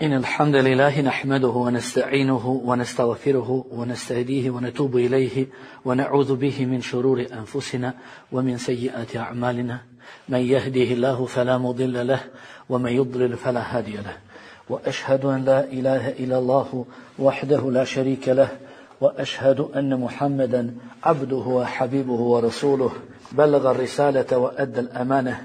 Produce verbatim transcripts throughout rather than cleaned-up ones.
إن الحمد لله نحمده ونستعينه ونستغفره ونستهديه ونتوب إليه ونعوذ به من شرور أنفسنا ومن سيئات أعمالنا من يهده الله فلا مضل له ومن يضلل فلا هادي له وأشهد أن لا إله إلا الله وحده لا شريك له وأشهد أن محمدا عبده وحبيبه ورسوله بلغ الرسالة وأدى الأمانة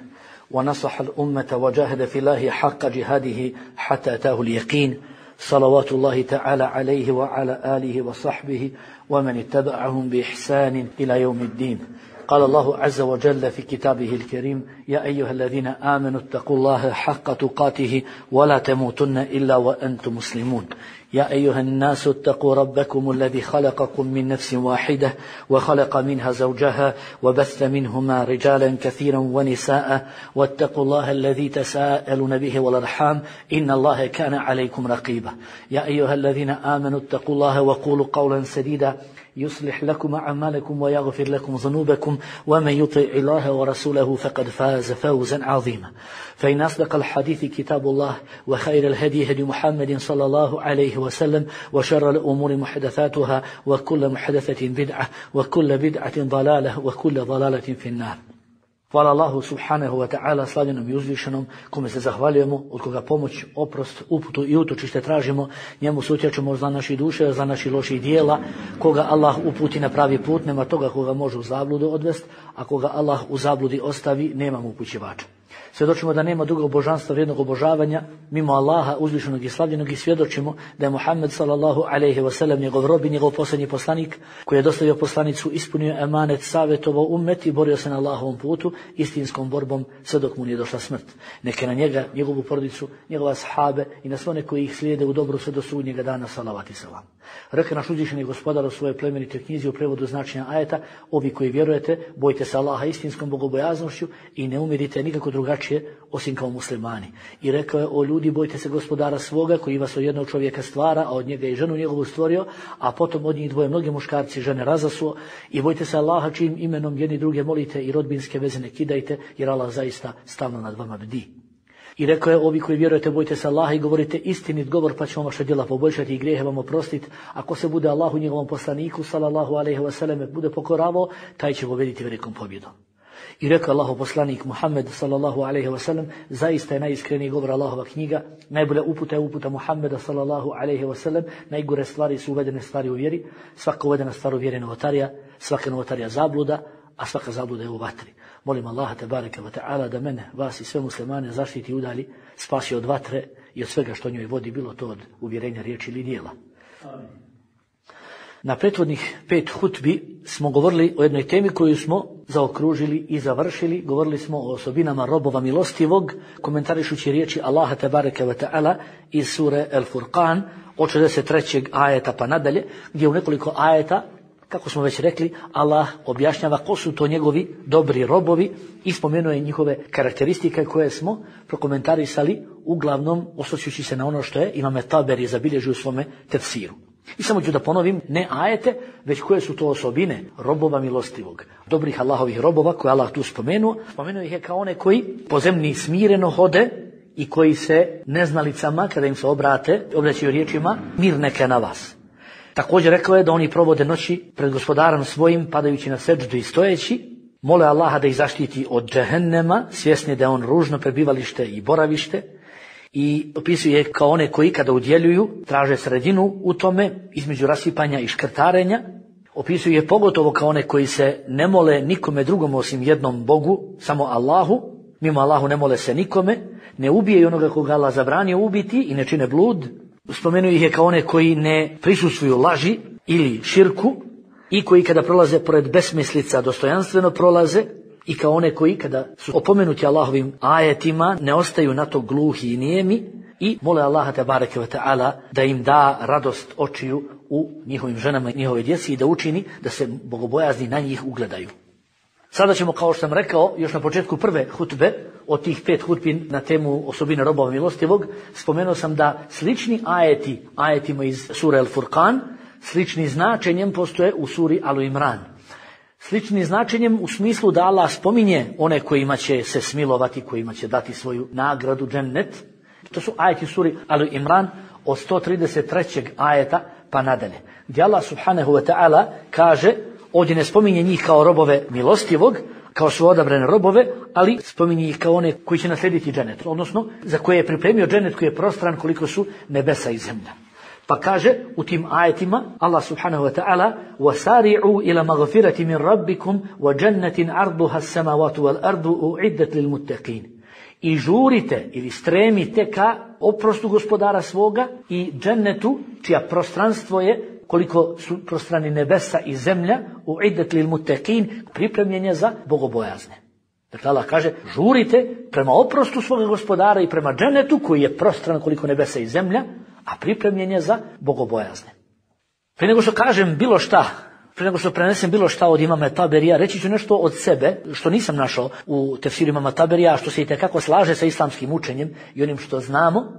ونصح الأمة وجاهد في الله حق جهاده حتى أتاه اليقين صلوات الله تعالى عليه وعلى آله وصحبه ومن اتبعهم بإحسان إلى يوم الدين. قال الله عز وجل في كتابه الكريم: يا أيها الذين آمنوا اتقوا الله حق تقاته ولا تموتن إلا وأنتم مسلمون. يا أيها الناس اتقوا ربكم الذي خلقكم من نفس واحدة وخلق منها زوجها وبث منهما رجالا كثيرا ونساء واتقوا الله الذي تساءلون به والأرحام إن الله كان عليكم رقيبا. يا أيها الذين آمنوا اتقوا الله وقولوا قولا سديدا يصلح لكم أعمالكم ويغفر لكم ذنوبكم ومن يطع الله ورسوله فقد فاز فوزا عظيما. فإن أصدق الحديث كتاب الله وخير الهدي هدي محمد صلى الله عليه وسلم وشر الأمور محدثاتها وكل محدثة بدعة وكل بدعة ضلالة وكل ضلالة في النار. Hvala Allahu subhanahu wa ta'ala, slavljenom i uzvišenom, kome se zahvaljujemo, od koga pomoć, oprost, uputu i utočište tražimo, njemu se utječemo za naše duše, za naši loših dijela, koga Allah uputi na pravi put, nema toga koga može u zabludu odvest, a koga Allah u zabludi ostavi, nema mu upućivača. Svjedočimo da nema drugog božanstva vrijednog obožavanja mimo Allaha uzvišenog i slavljenog i svjedočimo da je Muhammed sallallahu alejhi ve sellem njegov rob i njegov posljednji poslanik koji je dostavio poslanicu, ispunio emanet, savjetovao ummet i borio se na Allahovom putu istinskom borbom sve dok mu nije došla smrt. Neke na njega, njegovu porodicu, njegova sahabe i na sve one koji ih slijede u dobru sve do sudnjega dana salavat i selam. Reka naš uzvišeni gospodar u svojoj plemenitoj knjizi u prevodu značenja ajeta: ovi koji vjerujete, bojte se Allaha istinskom bogobojaznošću i ne umirite nikako drugačije osim kao muslimani. I rekao je: o ljudi, bojte se gospodara svoga koji vas od jednog čovjeka stvara, a od njega i ženu njegovu stvorio, a potom od njih dvoje mnogi muškarci žene razasuo. I bojte se Allaha čijim imenom jedni druge molite i rodbinske veze ne kidajte, jer Allah zaista stalno nad vama bdi. I rekao je: ovi koji vjerujete, bojte se Allaha i govorite istinit govor, pa će vam vaša djela poboljšati i grijehe vam oprostiti. Ako se bude Allahu njegovom poslaniku sallallahu alejhi ve sellem bude pokoravao, taj će pobjediti velikom pobjedom. I rekao Allahov poslanik Muhammed sallallahu alejhi ve sellem: zaista je najiskreniji govor Allahova knjiga, najbolja uputa je uputa Muhammeda sallallahu alejhi ve sellem, najgore stvari su uvedene stvari u vjeri, svaka uvedena stvar u vjeri je novotarija, svaka novotarija zabluda, a svaka zabluda je u vatri. Molim Allaha tebareke ve ta'ala da mene, vas i sve muslimane zaštiti i udalji, spasi od vatre i od svega što njoj vodi, bilo to od uvjerenja, riječi ili dijela. Amin. Na prethodnih pet hutbi smo govorili o jednoj temi koju smo zaokružili i završili. Govorili smo o osobinama robova milostivog, komentarišući riječi Allaha tebareke ve ta'ala iz sure El Furqan od šezdeset trećeg ajeta pa nadalje, gdje u nekoliko ajeta, kako smo već rekli, Allah objašnjava ko su to njegovi dobri robovi i spomenuje njihove karakteristike koje smo prokomentarisali, uglavnom osvrćući se na ono što je Imam Taberi zabilježio u svome tefsiru. I samo ću da ponovim, ne ajete, već koje su to osobine robova milostivog, dobrih Allahovih robova koje Allah tu spomenuo. Spomenuo ih je kao one koji po zemlji smireno hode i koji se neznalicama, kada im se obrate, obraćaju riječima: mir neka na vas. Također rekao je da oni provode noći pred gospodarom svojim, padajući na seđdu i stojeći, mole Allaha da ih zaštiti od džehennema, svjesni da je on ružno prebivalište i boravište, i opisuje kao one koji kada udjeljuju traže sredinu u tome između rasipanja i škrtarenja. Opisuje je pogotovo kao one koji se ne mole nikome drugom osim jednom Bogu, samo Allahu, mimo Allahu ne mole se nikome, ne ubije onoga koga Allah zabranio ubiti i ne čine blud. Spomenuo ih je kao one koji ne prisustvuju laži ili širku i koji kada prolaze pored besmislica dostojanstveno prolaze, i kao one koji kada su opomenuti Allahovim ajetima ne ostaju na to gluhi i nijemi i mole Allaha tebareke ve ta'ala da im da radost očiju u njihovim ženama i njihove djeci i da učini da se bogobojazni na njih ugledaju. Sada ćemo, kao što sam rekao još na početku prve hutbe, od tih pet hutbi na temu osobine robova milostivog, spomenuo sam da slični ajeti, ajetima iz sure El Furqan, slični značenjem postoje u suri Al Imran. Slični značenjem u smislu da Allah spominje one kojima će se smilovati, kojima će dati svoju nagradu džennet, To su ajeti suri Ali Imran od sto trideset trećeg ajeta pa nadalje, gdje Allah subhanahu wa ta'ala kaže, ovdje ne spominje njih kao robove milostivog, kao su odabrane robove, ali spominje ih kao one koji će naslijediti dženet, odnosno za koje je pripremio dženet koji je prostran koliko su nebesa i zemlja. Pa kaže u tim ajetima Allah subhanahu wa ta'ala: وَسَارِعُوا إِلَى مَغْفِرَةٍ مِنْ رَبِّكُمْ وَجَنَّةٍ عَرْضُهَا السَّمَاوَاتُ وَالْأَرْضُ أُعِدَّتْ لِلْمُتَّقِينَ. I žurite ili stremite ka oprostu gospodara svoga i džennetu čija prostranstvo je koliko su prostrani nebesa i zemlja, uiddat lil muttaqin, pripremljen je za bogobojazne. Dakle, Allah kaže, žurite prema oprostu svoga gospodara i prema džennetu koji je prostran koliko nebesa i zemlja, a pripremljen je za bogobojazne. Prije nego što kažem bilo šta, prije nego što prenesem bilo šta od imama Taberija, reći ću nešto od sebe, što nisam našao u tefsiru imama Taberija, što se itekako slaže sa islamskim učenjem i onim što znamo.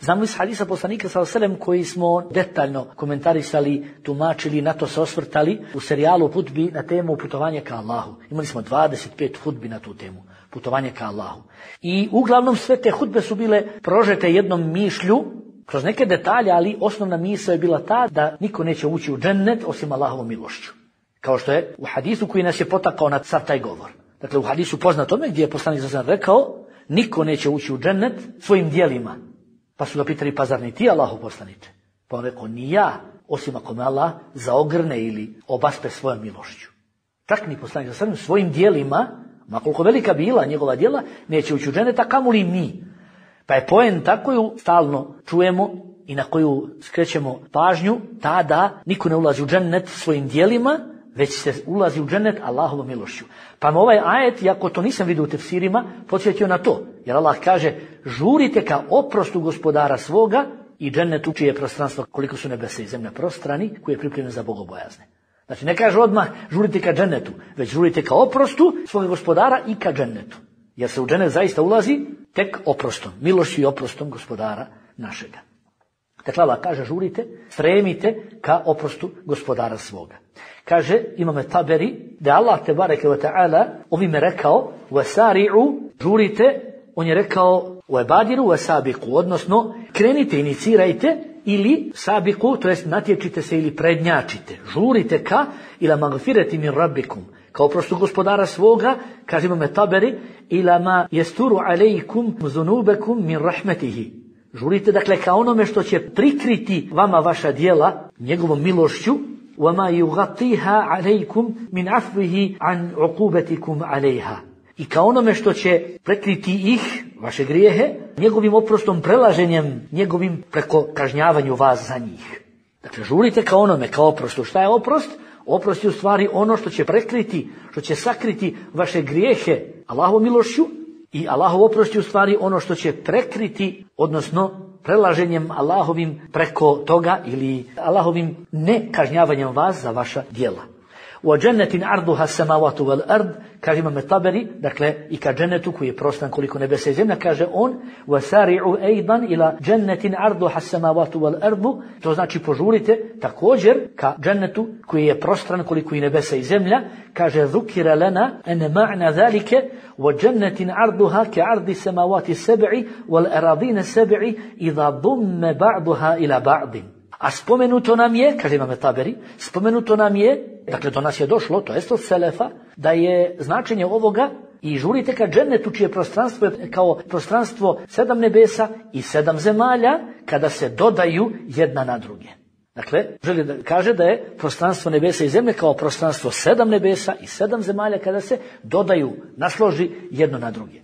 Znamo iz hadisa poslanika sallallahu alejhi ve sellem koji smo detaljno komentarisali, tumačili, na to se osvrtali u serijalu hudbi na temu putovanja ka Allahu. Imali smo dvadeset pet hudbi na tu temu, putovanje ka Allahu. I uglavnom sve te hudbe su bile prožete jednom mišlju, kroz neke detalje, ali osnovna misao je bila ta da niko neće ući u džennet osim Allahovom milošću. Kao što je u hadisu koji nas je potakao na sav taj govor. Dakle, u hadisu poznatome gdje je poslanik sallallahu alejhi ve sellem rekao, niko neće ući u džennet svojim djelima. Pa su ga pitali, pa zar ni ti, Allahu poslaniče? Pa on rekao, ni ja, osim ako me Allah zaogrne ili obaspe svojom milošću. Čak ni poslanik sallallahu alejhi ve sellem svojim djelima, ma koliko velika bila njegova djela, neće ući u džennet, a kamoli mi. Pa je poenta koju stalno čujemo i na koju skrećemo pažnju, ta da niko ne ulazi u džennet svojim djelima, već se ulazi u džennet Allahovom milošću. Pa me ovaj ajet, iako to nisam vidio u tefsirima, podsjetio na to. Jer Allah kaže, žurite ka oprostu gospodara svoga i džennetu čije je prostranstvo koliko su nebesa i zemlja prostrani, koji je pripremljen za bogobojazne. Znači ne kaže odmah žurite ka džennetu, već žurite ka oprostu svoga gospodara i ka džennetu. Jer se u džennet zaista ulazi tek oprostom, milošću i oprostom gospodara našega. Dakle, Allah kaže, žurite, stremite ka oprostu gospodara svoga. Kaže imam Taberi da Allah tebareke ve taala ovime rekao wasari'u, žurite, on je rekao wabadiru wasabiqu, odnosno krenite, inicirajte ili sabiqu, to jest natječite se ili prednjačite. Žurite ka ila magfirati min rabbikum, kao oprostu gospodara svoga, kaže imam Taberi, ila ma yasturu alejkum zunubakum min rahmetihi. Žurite, dakle, ka onome što će prikriti vama vaša djela njegovom milošću, وَمَا يُغَطِيهَا عَلَيْكُمْ مِنْ عَفْوِهِ عَنْ عُقُوبَتِكُمْ عَلَيْهَا. I kao onome što će prekriti ih, vaše grijehe, njegovim oprostom, prelaženjem njegovim preko kažnjavanju vas za njih. Dakle, žurite ka onome, kao oprostu. Šta je oprost? Oprost je u stvari ono što će prekriti, što će sakriti vaše grijehe Allahovom milošću, i Allahov oprost je u stvari ono što će prekriti, odnosno prelaženjem Allahovim preko toga ili Allahovim nekažnjavanjem vas za vaša djela. U džennetin arduha samavatu wal ard, kaže imam Taberi, dakle i ka džennetu koji je prostran koliko nebesa i zemlja, kaže on wasari'u aidan ila džennetin arduha samavatu wal ardu, to znači požurite također ka džennetu koji je prostran koliko i nebesa i zemlja, kaže zukira lana an ma'na zalika wa džennetin arduha ka ardi samawati sab'i wal aradina sab'i idha dumma ba'daha ila ba'din. A spomenuto nam je, kaže imam Taberi, spomenuto nam je, dakle do nas je došlo, to jest od selefa, da je značenje ovoga i žurite ka džennetu čije prostranstvo je kao prostranstvo sedam nebesa i sedam zemalja kada se dodaju jedna na druge. Dakle, želi da kaže da je prostranstvo nebesa i zemlje kao prostranstvo sedam nebesa i sedam zemalja kada se dodaju, nasloži jedno na druge.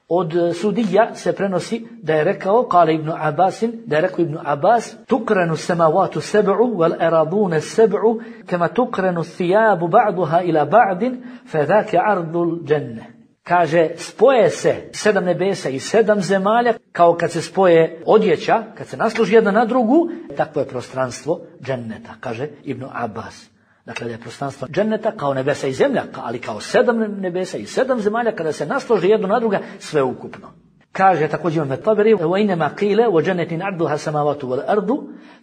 Od Sudija se prenosi da je rekao, kale Ibn Abbasin, da je rekao Ibn Abbas, tukranu samavatu seb'u wal aradune seb'u kama tukranu thijabu ba'duha ila ba'din fa dhaka ardul dženne. Kaže, spoje se sedam nebesa i sedam zemalja kao kad se spoje odjeća, kad se nasloži jedna na drugu, takvo je prostranstvo dženneta, kaže Ibn Abbas. Dakle, da je prostranstvo dženneta kao nebesa i zemlja, ali kao sedam nebesa i sedam zemalja, kada se nasloži jedno na druga, sve ukupno. Kaže također imam Taberi, وَإِنَمَا قِيلَ وَجَنَّةٍ عَرْضُهَا السَّمَاوَاتُ وَالْأَرْضُ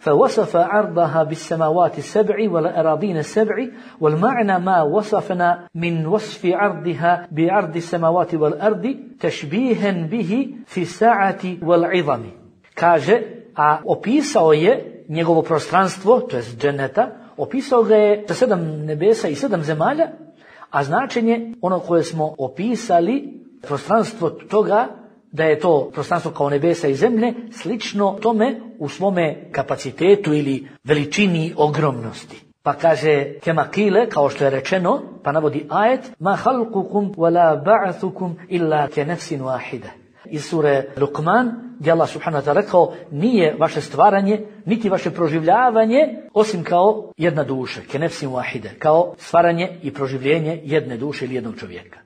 فَوَصَفَ عَرْضَهَا بِالسَّمَاوَاتِ السَّبْعِ وَالْأَرَاضِينَ السَّبْعِ وَالْمَعْنَى مَا وَصَفْنَا مِنْ وَصْفِ عَرْضِهَا بِعَرْضِ السَّمَاوَاتِ وَالْأَرْضِ تَشْبِيهًا بِهِ فِي السَّاعَةِ وَالْعِظَمِ. Kaže, a opisao je njegovo prostranstvo, to jest dženeta, opisao ga je sa sedam nebesa i sedam zemalja, a značenje ono koje smo opisali, prostranstvo toga, da je to prostranstvo kao nebesa i zemlje, slično tome u svome kapacitetu ili veličini ogromnosti. Pa kaže, kema kile, kao što je rečeno, pa navodi ajet, ma halkukum wala ba'athukum illa ke nefsin wahide. Iz sure Luqman, gdje Allah subhanahu wa ta'ala rekao, nije vaše stvaranje, niti vaše proživljavanje, osim kao jedna duša, ke nefsin wahide, kao stvaranje i proživljenje jedne duše ili jednog čovjeka.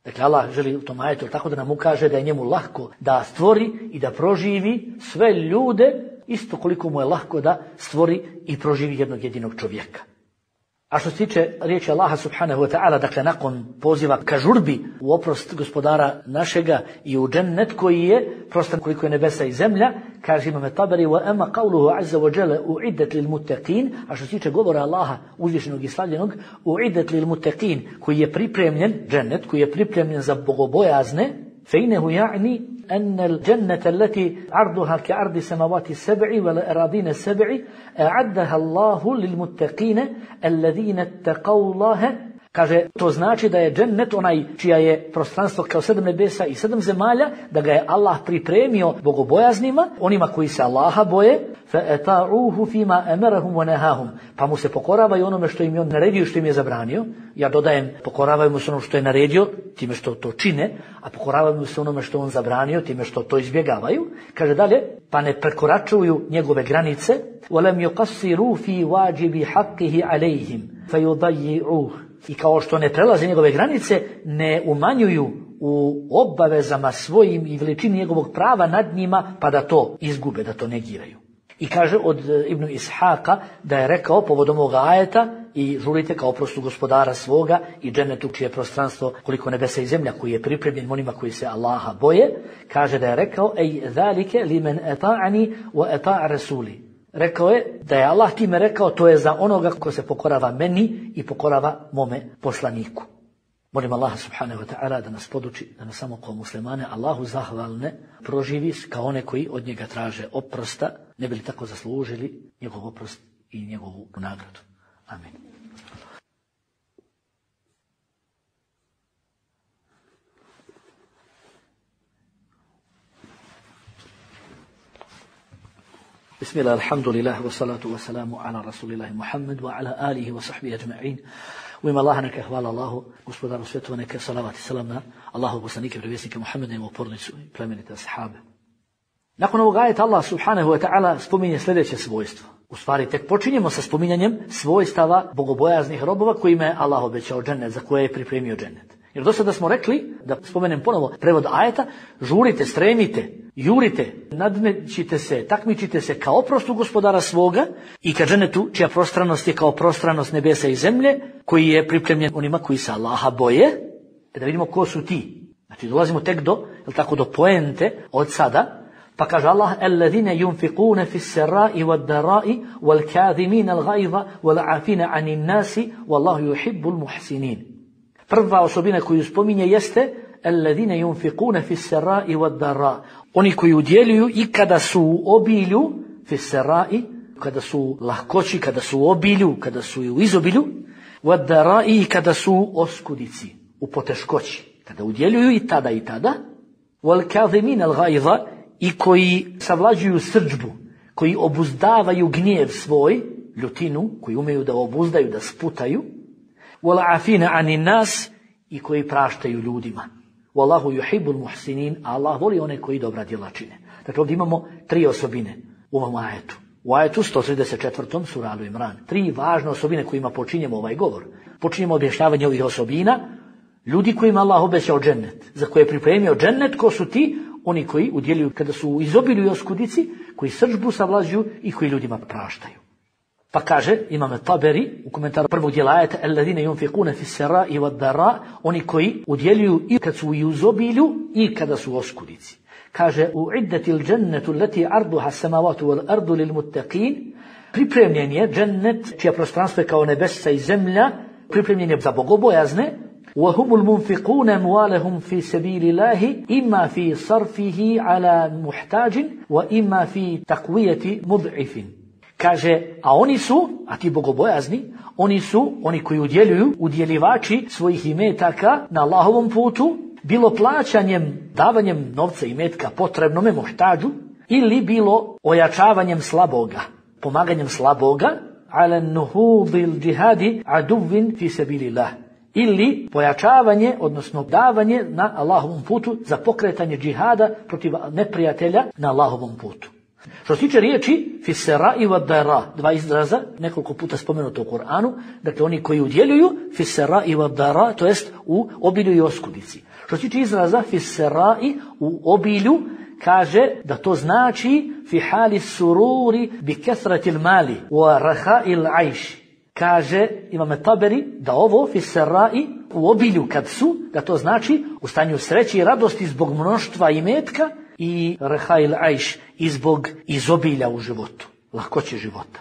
Dakle, Allah želi u tom ajetu tako da nam ukaže da je njemu lahko da stvori i da proživi sve ljude, isto koliko mu je lahko da stvori i proživi jednog jedinog čovjeka. A što se tiče riječi Allaha subhanahu wa ta'ala, dakle nakon poziva ka žurbi u oprost gospodara našega i u džennet koji je prostor koliko je nebesa i zemlja, kaže Imam Tabari, wa amma qawluhu azza wa jalla u'iddat lil muttaqin, a što se tiče govora Allaha uzvišenog i slavljenog, u'iddat lil muttaqin, koji je pripremljen, džennet koji je pripremljen za bogobojazne, fe innehu ja'ni أن الجنة التي عرضها كعرض السماوات السبع والأراضين السبع أعدها الله للمتقين الذين اتقوا الله. Kaže, to znači da je džennet onaj čija je prostranstvo kao sedam nebesa i sedam zemalja, da ga je Allah pripremio bogobojaznima, onima koji se Allaha boje, فَأَتَاعُوهُ فِيمَا أَمَرَهُمْ وَنَهَاهُمْ, pa mu se pokoravaju onome što im je on naredio, što im je zabranio. Ja dodajem, pokoravaju mu se onome što je naredio, time što to čine, a pokoravaju mu se onome što on zabranio, time što to izbjegavaju. Kaže dalje, pa ne prekoračuju njegove granice, وَلَمْ يُقَصِّرُوا فِي وَاجِبِ حَقِّهِ عَلَيْهِمْ فَيُضَيِّعُوهُ, i kao što ne prelaze njegove granice, ne umanjuju u obavezama svojim i veličini njegovog prava nad njima, pa da to izgube, da to negiraju. I kaže od Ibnu Ishaqa da je rekao povodom ovoga ajeta, i žurite kao oprostu gospodara svoga i džennetu čije prostranstvo koliko nebesa i zemlja koji je pripremljen onima koji se Allaha boje, kaže da je rekao, ej zalike limen eta'ani wa eta'a rasuli. Rekao je da je Allah time rekao, to je za onoga ko se pokorava meni i pokorava mome poslaniku. Molim Allaha subhanahu wa ta'ala da nas poduči, da nas samo kao muslimane Allahu zahvalne proživi kao one koji od njega traže oprosta, ne bi li tako zaslužili njegov oprost i njegovu nagradu. Amin. Bismillah, alhamdulillah, wa salatu wa salamu ala rasulillahi Muhammad wa ala alihi wa sahbihi ajma'in. U ime Allaha neka hvala Allahu, gospodaru svjetova, neka salavat i salam na Allahu poslanike i vjerovjesnike Muhammeda i njegovu porodicu i plemenite ashabe. Nakon ovog ajeta Allah subhanahu wa ta'ala spominje sljedeće svojstvo. U stvari tek počinjemo sa spominjanjem svojstava bogobojaznih robova kojima je Allah obećao džennet, za koje je pripremio džennet. Jer do sada smo rekli, da spomenem ponovo prevod ajeta, žurite, stremite, jurite, nadmećite se, takmičite se kao oprostu gospodara svoga i ka džennetu čija prostranost je kao prostranost nebesa i zemlje, koji je pripremljen onima koji se Allaha boje. Da vidimo ko su ti. Znači dolazimo tek do, jel tako, do poente od sada. Pa kaže Allah, alladhina yunfiquna fis sarai wad darai wal kadhimina al ghayza wal afina anin nasi wallahu yuhibbul muhsinin. Prva osobina koju spominje jeste alladhina yunfiquna fis sarai wad dara. Oni koji udjeljuju i kada su u obilju, fis sarai, kada su u lahkoći, kada su u obilju, kada su u izobilju, wad darai, kada su u oskudici, u poteškoći. Kada udjeljuju i tada i tada, wal kadhimina al ghayza, i koji savlađuju srdžbu, koji obuzdavaju gnjev svoj, ljutinu, koji umeju da obuzdaju, da sputaju, wal afina anin nas, i koji praštaju ljudima. Wallahu yuhibbul muhsinin, Allah voli one koji dobra djela čine. Dakle, ovdje imamo tri osobine u ovom ajetu. U ajetu sto trideset četvrtom sura Al Imran. Tri važne osobine kojima počinjemo ovaj govor. Počinjemo objašnjavanje ovih osobina, ljudi kojima Allah obećao džennet, za koje je pripremio džennet. Ko su ti? Oni koji udjeljuju kada su u izobilju i oskudici, koji srdžbu savlađuju i koji ljudima praštaju. Pa kaže Imam Taberi u komentaru prvog dijela ajeta, alladhina yunfiquna fis sarai wad dara, oni koji udjeljuju i kad su u izobilju i kada su u oskudici. Kaže, u'iddatil džannetu allati arduha as-samawati wal ardu lil muttaqin, pripremljen je džennet čija prostranstvo je kao nebesa i zemlja, pripremljen je za bogobojazne, وهم المنفقون أموالهم في سبيل الله إما في صرفه على محتاج وإما في تقوية مضعف. Kaže, a oni su, a ti bogobojazni, oni su, oni koji udjeljuju, udjelivači svojih imetaka na Allahovom putu, bilo plaćanjem, davanjem novca i metka potrebnome muhtađu, ili bilo ojačavanjem slaboga, pomaganjem slaboga, ala nuhudil džihadi aduvin fi sabilillah, ili pojačavanje, odnosno davanje na Allahovom putu za pokretanje džihada protiv neprijatelja na Allahovom putu. Što se tiče riječi fisera i vadara, dva izraza, nekoliko puta spomenuto u Kur'anu, dakle oni koji udjeljuju fisera i vadara, to jest u obilju i oskudici. Što se tiče izraza fisera i u obilju, kaže da to znači fi hali sururi bi kesratil mali wa raha'il aish. Kaže Imam Taberi da ovo fiserai u obilju kad su, da to znači u stanju sreće i radosti zbog mnoštva imetka i raha'il aish i zbog izobilja u životu, lahkoće života.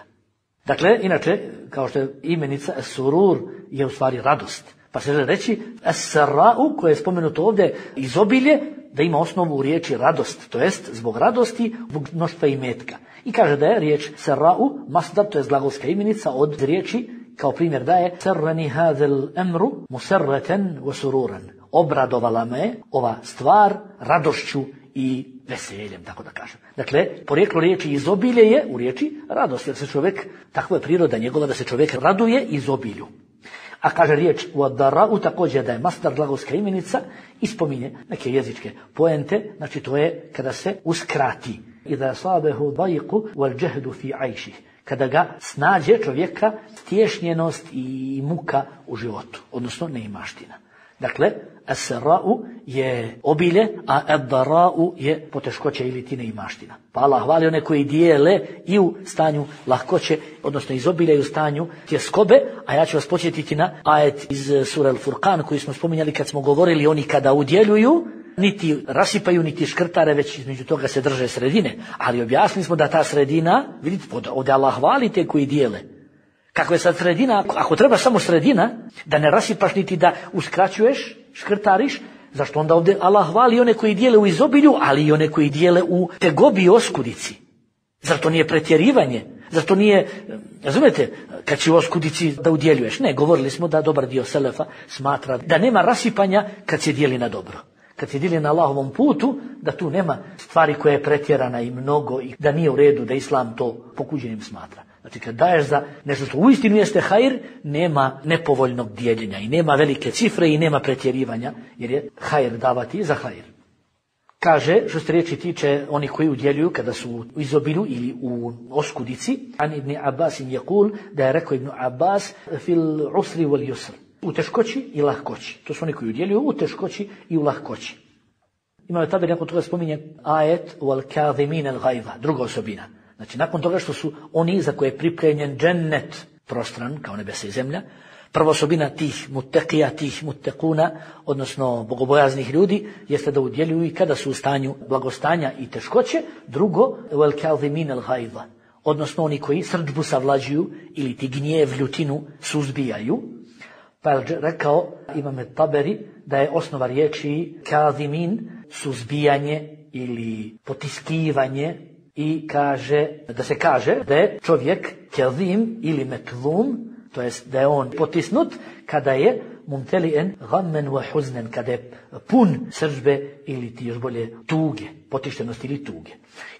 Dakle, inače, kao što je imenica surur je u stvari radost. Pa se žele reći as-sarra'u, koje je spomenuto ovdje izobilje, da ima osnovu u riječi radost, to jest zbog radosti, zbog mnoštva imetka. I kaže da je riječ sarra'u, masdar, to je glagolska imenica od riječi, kao primjer daje sarrani hadhal amru musarratan wa sururan. Obradovala me ova stvar radošću i veseljem, tako da kažem. Dakle, porijeklo riječi izobilje je u riječi radost, jer se čovjek, takva je priroda njegova da se čovjek raduje izobilju. A kaže riječ uadara'u također da je masdar glagolska imenica i spominje neke jezičke poente, znači to je kada se uskrati. Iza sabehu dajku wal jahdu fi aishi. Kada ga snađe čovjeka tješnjenost i muka u životu, odnosno neimaština. Dakle, as-sarra'u je obilje, a ad-dara'u je poteškoća ili ti neimaština. Pa Allah hvali one koji dijele i u stanju lahkoće, odnosno izobilja i u stanju tjeskobe, a ja ću vas podsjetiti na ajet iz sure Al-Furqan koji smo spominjali kad smo govorili oni kada udjeljuju, niti rasipaju, niti škrtare, već između toga se drže sredine. Ali objasnili smo da ta sredina, vidite, ovdje Allah hvali te koji dijele. Kako je sad sredina, ako treba samo sredina, da ne rasipaš niti da uskraćuješ, škrtariš, zašto onda ovdje Allah hvali one koji dijele u izobilju, ali i one koji dijele u tegobi i oskudici. Zar to nije pretjerivanje? Zar to nije, razumete, kad će u oskudici da udjeljuješ? Ne, govorili smo da dobar dio selefa smatra da nema rasipanja kad se dijeli na dobro. Kad se dijeli na Allahovom putu, da tu nema stvari koja je pretjerana i mnogo i da nije u redu, da Islam to pokuđenim smatra. Znači kad daješ za nešto što uistinu jeste hajr, nema nepovoljnog dijeljenja i nema velike cifre i nema pretjerivanja, jer je hajr davati za hajr. Kaže, što se riječi tiče oni koji udjeljuju kada su u izobilju ili u oskudici, an ibn Abbas im jekul, da je rekao Ibn Abbas fil usri wal yusr, u teškoći i lahkoći. To su oni koji udjeljuju u teškoći i u lahkoći. Imamo tabir, nakon toga spominje ajet wal kadhimin al ghaiza, druga osobina. Znači, nakon toga što su oni za koje je pripremljen džennet prostran, kao nebesa i zemlja, prva osobina tih mutekija, tih mutekuna, odnosno bogobojaznih ljudi, jeste da udjeljuju i kada su u stanju blagostanja i teškoće. Drugo, wal kadhimin al ghaiza, odnosno oni koji srdžbu savlađuju ili ti gnjev, ljutinu suzbijaju. Pa je rekao Imam Taberi da je osnova riječi kadhimin suzbijanje ili potiskivanje. I kaže, da se kaže da je čovjek kadhim ili metlum, to jest da je on potisnut kada je mumteli'en ghammen wa huznen, kada je pun sržbe ili ti još bolje tuge, potištenosti ili tuge.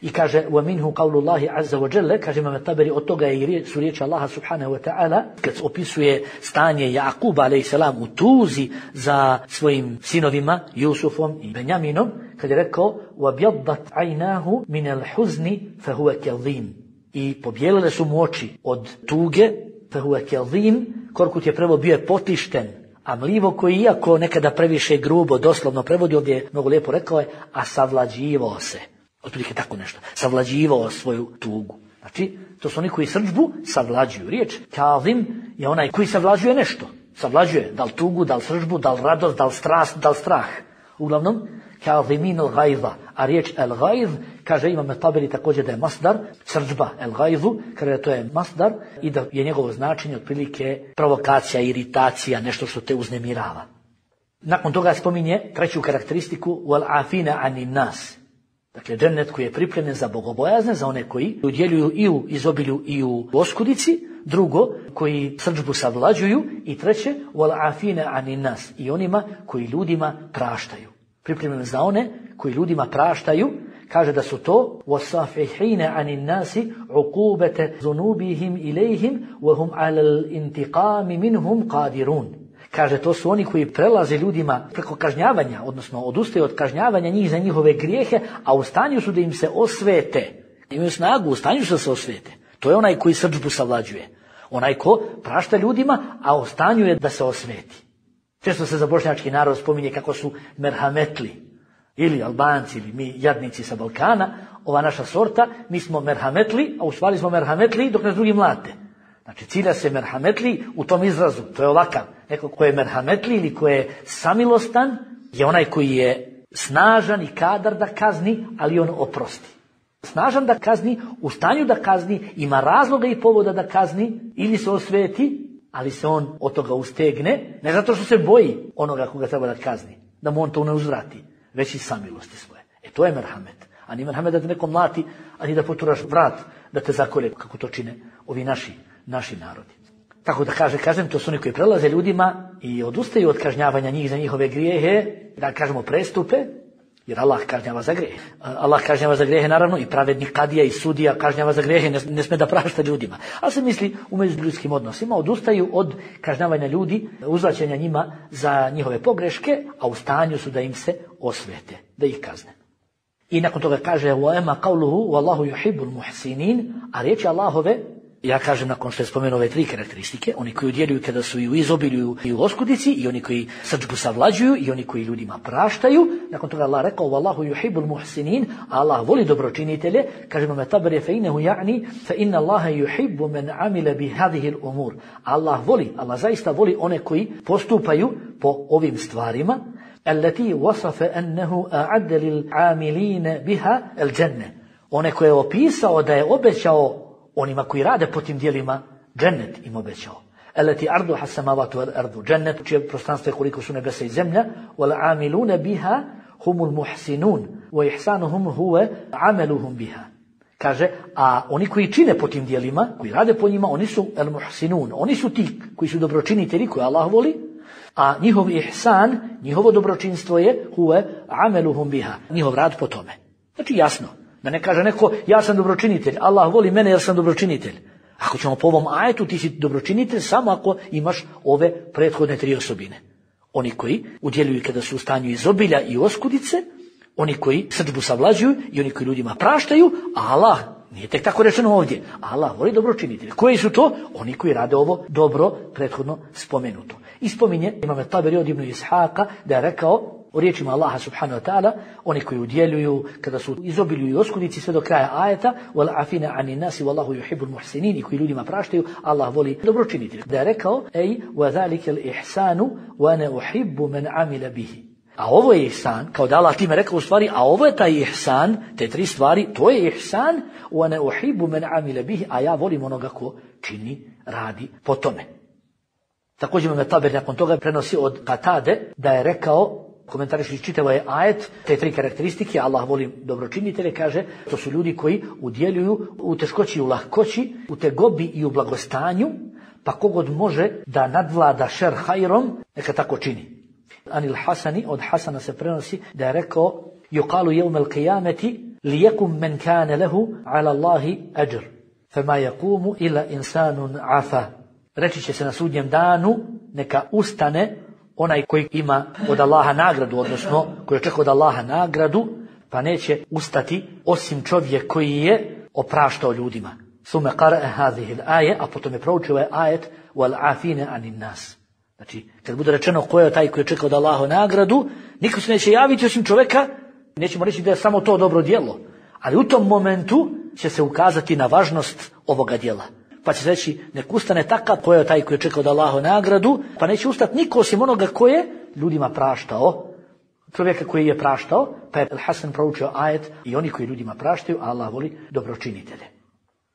I kaže wa minhu qawlullahi azza wa jalla, kaže Imam Taberi, od toga je su riječi Allaha subhanahu wa ta'ala kad opisuje stanje Jakuba alejhi selam u tuzi za svojim sinovima Jusufom i Benjaminom, kad je rekao وَبْيَضَّتْ عَيْنَاهُ مِنَ الْحُزْنِ فَهُوَ كَظِيمٌ, i pobjelile su mu oči od tuge, فَهُوَ كَظِيمٌ, Korkut je prvo bio je potišten, a mlivo koji iako nekada previše grubo doslovno prevodi, ovdje je mnogo lijepo rekao je, a savlađivao se. Otprilike tako nešto. Savlađivao svoju tugu. Znači, to su oni koji srdžbu savlađuju. Riječ kazim je onaj koji savlađuje nešto. Savlađuje, da li tugu, da li srdžbu, da li radost, da li strast, da li strah. Uglavnom, kazimin al-ghaiza, a riječ al-ghaiz, kaže Imam Taberi također da je masdar, srdžba al-ghaizu, kaže da to je masdar i da je njegovo značenje otprilike provokacija, iritacija, nešto što te uznemirava. Nakon toga spominje treću karakteristiku wal afina anin nas. Dakle, džennet koji je pripremljen za bogobojazne, za one koji udjeljuju i u izobilju i u oskudici. Drugo, koji srdžbu savlađuju. I treće, wal afina anin nas. I onima koji ljudima praštaju. Pripremljen za one koji ljudima praštaju. Kaže da su to wasafihina anin nasi uqubata zunubihim ilayhim wa hum ala al-intiqam minhum qadirun. Kaže, to su oni koji prelaze ljudima preko kažnjavanja, odnosno odustaju od kažnjavanja njih za njihove grijehe, a u stanju su da im se osvete. Imaju snagu, u stanju su da se osvete. To je onaj koji srdžbu savlađuje. Onaj ko prašta ljudima, a u stanju je da se osveti. Često se za bošnjački narod spominje kako su merhametli. Ili Albanci, ili mi jadnici sa Balkana, ova naša sorta, mi smo merhametli, a u stvari smo merhametli dok nas drugi mlate. Znači, cilja se merhametli u tom izrazu, to je ovakav. Neko ko je merhametli ili ko je samilostan, je onaj koji je snažan i kadar da kazni, ali on oprosti. Snažan da kazni, u stanju da kazni, ima razloga i povoda da kazni, ili se osveti, ali se on od toga ustegne, ne zato što se boji onoga koga treba da kazni, da mu on to ne uzvrati, već i samilosti svoje. E to je merhamet. A ni merhamet da te neko mlati, a ni da poturaš vrat, da te zakolje, kako to čine ovi naši, naši narodi. Tako da kaže, kažem, to su oni koji prelaze ljudima i odustaju od kažnjavanja njih za njihove grijehe, da kažemo prestupe, jer Allah kažnjava za grijehe. Allah kažnjava za grijehe, naravno, i pravedni kadija i sudija kažnjava za grijehe, ne, ne sme da prašta ljudima. Ali se misli u međuljudskim odnosima, odustaju od kažnjavanja ljudi, uzvraćanja njima za njihove pogreške, a u stanju su da im se osvete, da ih kazne. I nakon toga kaže وَأَمَا قَوْلُهُ وَاللَّهُ يُحِبُّ الْمُحْسِنِينَ, a riječi Allahove, ja kažem nakon što je spomenuo ove tri karakteristike, oni koji udjeljuju kada su i u izobilju i u oskudici, i oni koji srdžbu savlađuju, i oni koji ljudima praštaju. Nakon toga Allah rekao وَاللَّهُ يُحِبُّ الْمُحْسِنِينَ, a Allah voli dobročinitelje. Kaže Imam Tabari فَإِنَّهُ يَعْنِي فَإِنَّ اللَّهَ يُحِبُّ مَنْ عَمِلَ بِهَذِهِ الْأُمُورِ. Allah voli, Allah zaista voli one koji postupaju po ovim stvarima. التي وصف أنه أعد للعاملين بها الجنة. One koje je opisao da je obećao onima koji rade po tim dijelima džennet im obećao. التي عرضها السماوات والأرض. Džennet čije prostranstvo je koliko su nebesa i zemlja. والعاملون بها هم المحسنون وإحسانهم هو عملهم بها. Kaže, a oni koji čine po tim dijelima, koji rade po njima, oni su el muhsinun. Oni su ti koji su dobročinitelji, koje Allah voli. A njihov ihsan, njihovo dobročinstvo je huve ameluhum biha, njihov rad po tome. Znači jasno, da ne kaže neko ja sam dobročinitelj, Allah voli mene jer sam dobročinitelj. Ako ćemo po ovom ajetu, ti si dobročinitelj samo ako imaš ove prethodne tri osobine. Oni koji udjeljuju kada su u stanju izobilja i oskudice, oni koji srdžbu savlađuju i oni koji ljudima praštaju, a Allah, nije tek tako rečeno ovdje, Allah voli dobročinitelj. Koji su to? Oni koji rade ovo dobro prethodno spomenuto. I spominje Imam Taberi od Ibn Ishaqa da je rekao u riječima Allaha subhanahu wa ta'ala, oni koji udjeljuju kada su izobilju i oskudici sve do kraja ajeta, wal afina anin nasi wallahu yuhibbul muhsinin, i koji ljudima praštaju, Allah voli dobročinitelje. Da je rekao ej wa zalika al ihsanu wa ana uhibbu man amila bihi. A ovo je ihsan, kao da Allah time rekao u stvari, a ovo je taj ihsan, te tri stvari, to je ihsan, wa ana uhibbu man amila bihi, a ja volim onoga ko čini, radi po tome. Također Imam Taberi nakon toga prenosi od Katade da je rekao, komentariši čitavo je ajet, te tri karakteristike, Allah voli dobročinitelje, kaže, to su ljudi koji udjeljuju u teškoći i u lahkoći, u tegobi i u blagostanju, pa kogod može da nadvlada šer hajrom, neka tako čini. Anil Hasani, od Hasana se prenosi da je rekao, yuqalu yawm al-qiyamati liyakum man kana lahu ala Allahi ajr, fama yaqumu illa insanun afa. Reći će se na sudnjem danu, neka ustane onaj koji ima od Allaha nagradu, odnosno koji očekuje od Allaha nagradu, pa neće ustati osim čovjek koji je opraštao ljudima. Sume qara'a hadhihi al-aya, a potom je proučio ovaj ajet wal afina anin nas. Znači, kad bude rečeno ko je taj koji očekuje od Allaha nagradu, niko se neće javiti osim čovjeka, nećemo reći da je samo to dobro djelo, ali u tom momentu će se ukazati na važnost ovoga djela. Pa će reći, nek ustane takav ko je taj koji je čekao da Allahu nagradu, pa neće ustati niko osim onoga ko je ljudima praštao, čovjeka koji je praštao, pa je Hasan proučio ajet i oni koji ljudima praštaju, a Allah voli dobročinitelje.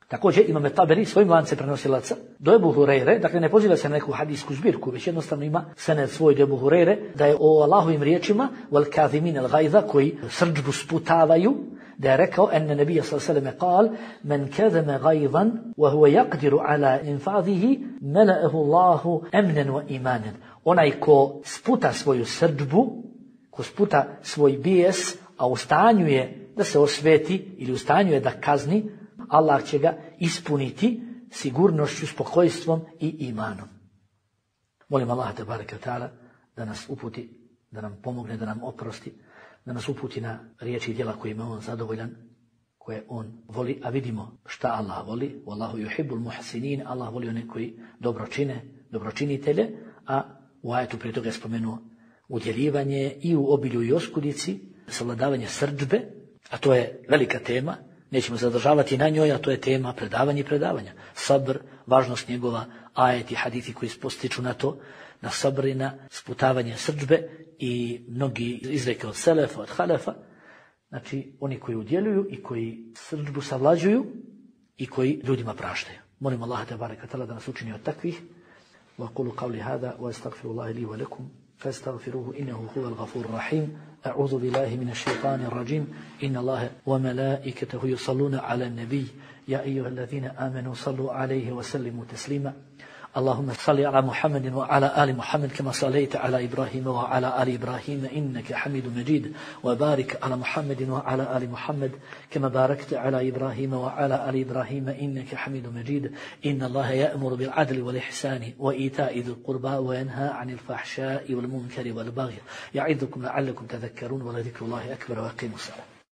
Također imam Taberi svojim lance prenosilaca do Ebu Hureyre, dakle ne poziva se na neku hadijsku zbirku, već jednostavno ima sened svoj do Ebu Hureyre, da je o Allahovim riječima wal kazimin al gajza, koji srdžbu sputavaju, da je rekao enne nebija sallallahu alejhi ve sellem kal men kazama gajzan wa huwa yaqdiru ala infadhihi mala'ahu Allahu amnan wa imanan. Onaj ko sputa svoju srdžbu, ko sputa svoj bijes, a u stanju je da se osveti ili u stanju je da kazni, Allah će ga ispuniti sigurnošću, spokojstvom i imanom. Molim Allah te bareke ve taala da nas uputi, da nam pomogne, da nam oprosti, da nas uputi na riječi i djela kojima on zadovoljan, koje on voli, a vidimo šta Allah voli. Wallahu yuhibbul muhsinin, Allah voli one koji dobro čine, dobročinitelje, a u ajetu prije toga je spomenuo udjeljivanje i u obilju i oskudici, savladavanje srdžbe, a to je velika tema. Nećemo zadržavati na njoj, a to je tema predavanja i predavanja. Sabr, važnost njegova, ajeti, hadithi koji postiču na to, na sabr i na sputavanje srdžbe i mnogi izreke od selefa, od halefa. Znači, oni koji udjeljuju i koji srdžbu savlađuju i koji ljudima praštaju. Molim Allaha te bareke ve taala da nas učini od takvih. Wa qulu qawli hada wa astaghfirullaha li wa lakum fastaghfiruhu innahu huwal ghafurur rahim. أعوذ بالله من الشيطان الرجيم إن الله وملائكته يصلون على النبي يا أيها الذين آمنوا صلوا عليه وسلموا تسليما اللهم صل على محمد وعلى آل محمد كما صليت على إبراهيم وعلى آل إبراهيم إنك حميد مجيد وبارك على محمد وعلى آل محمد كما باركت على إبراهيم وعلى آل إبراهيم إنك حميد مجيد إن الله يأمر بالعدل والإحسان وإيتاء ذي القربى وينهى عن الفحشاء والمنكر والبغي يعظكم لعلكم تذكرون ولذكر الله أكبر وأقيموا الصلاة.